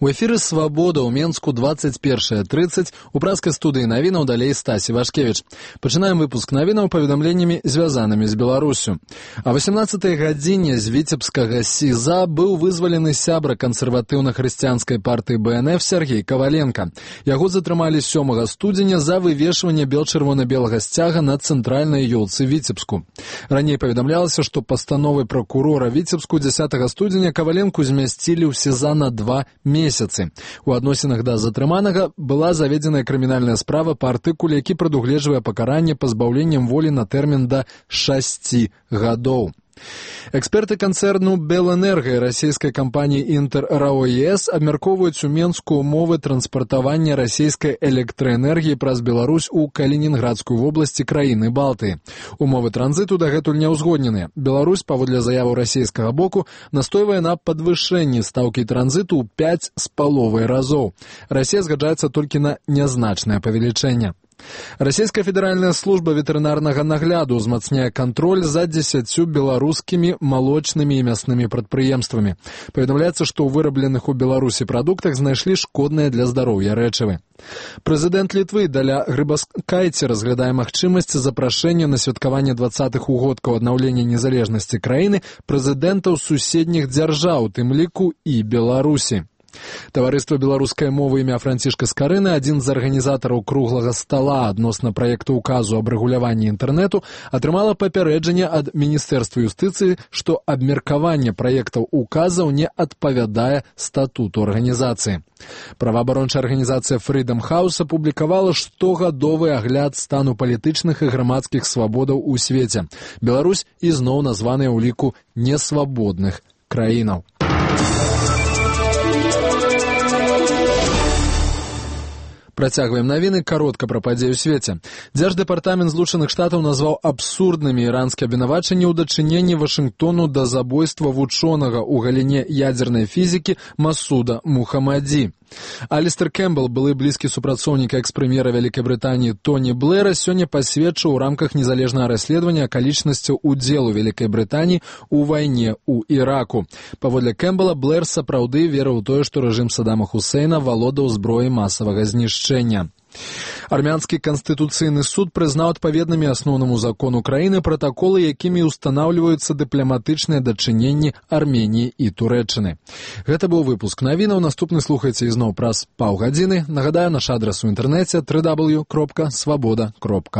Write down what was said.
У эфіры «Свабода» ў Менску 21:30, у праскай студыі навінаў далей Стасі Вашкевіч. Пачынаем выпуск навінаў паведамленнямі, звязанымі з Беларусю. А 18-й гадзіне з віцебскага СІЗА быў вызвалены сябра кансерватыўна-хрысціянскай партыі БНФ Сергей Коваленко. Яго затрымалі 7 студзеня за вывешванне бел-чырвона-белага сцяга на цэнтральнай ёлцы Віцебску. Раней паведамлялася, што пастановай пракурора Віцебску 10 студзеня Коваленку змясцілі ў СІЗА на 2 месяцы. У адносінах да затрыманага была заведзеная крымінальная справа па артыкуле, які прадугледжвае пакаранне пазбаўленнем волі на тэрмін да 6 гадоў. Эксперты канцэрну «Белэнерго» і расійскай кампаніі «Інтэр-РАО-ЕС» абмяркоўваюць у Менску умовы транспартавання расійскай электраэнергіі праз Беларусь у Калінінградскую вобласць краіны Балтыі. Умовы транзіту дагэтуль не ўзгодненыя. Беларусь, паводле заяву расійскага боку, настойвае на падвышэнні стаўкі транзіту ў 5,5 разоў. Расія згаджаецца толькі на нязначнае павелічэнне. Расійская федэральная служба ветэрынарнага нагляду ўзмацняе кантроль за 10 беларускімі малочнымі і мяснымі прадпрыемствамі. Паведамляецца, што ў вырабленых у Беларусі прадуктах знайшлі шкодныя для здароўя рэчывы. Прэзідэнт Літвы Даля Грыбаскайце разглядае магчымасць запрашэння на святкаванне 20-х угодкаў аднаўлення незалежнасці краіны прэзідэнтаў суседніх дзяржаў, у тым ліку і Беларусі. Таварыства беларускай мовы імя Францішка Скарыны, адзін з арганізатараў круглага стала адносна праекту указу аб рэгуляванні інтэрнэту, атрымала папярэджанне ад Міністэрства юстыцыі, што абмеркаванне праектаў указаў не адпавядае статуту арганізацыі. Праваабарончая арганізацыя Freedom House апублікавала штогадовы агляд стану палітычных і грамадскіх свабодаў у свеце. Беларусь ізноў названая ў ліку несвабодных краінаў. Працягваем навіны, каротка пра падзеі ў свеце. Дзярждэпартамент Злучаных Штатаў назваў абсурднымі іранскія абвінавачанні ў дачыненні Вашынгтону да забойства вучонага ў галіне ядзернай фізікі Масуда Мухамадзі. Алістер Кэмпбелл, былы блізкі супрацоўнік экс-прэм'ера Вялікай Брытаніі Тоні Блэра, сёння пасведчыў у рамках незалежнага расследавання акалічнасцяў удзелу Вялікай Брытаніі ў вайне ў Іраку. Паводле Кэмпбелла, Блэр сапраўды верыў у тое, што рэжым Саддама Хусейна валодаў зброяй масавага знішчэння. Армянскі канстытуцыйны суд прызнаў адпаведнымі асноўнаму закону краіны пратаколы, якімі ўстанаўліваюцца дыпламатычныя дачыненні Арменіі і Турэччыны. Гэта быў выпуск навінаў. Наступны слухайце ізноў праз паўгадзіны. Нагадаю, наш адрас у інтэрнэце www.swaboda.org.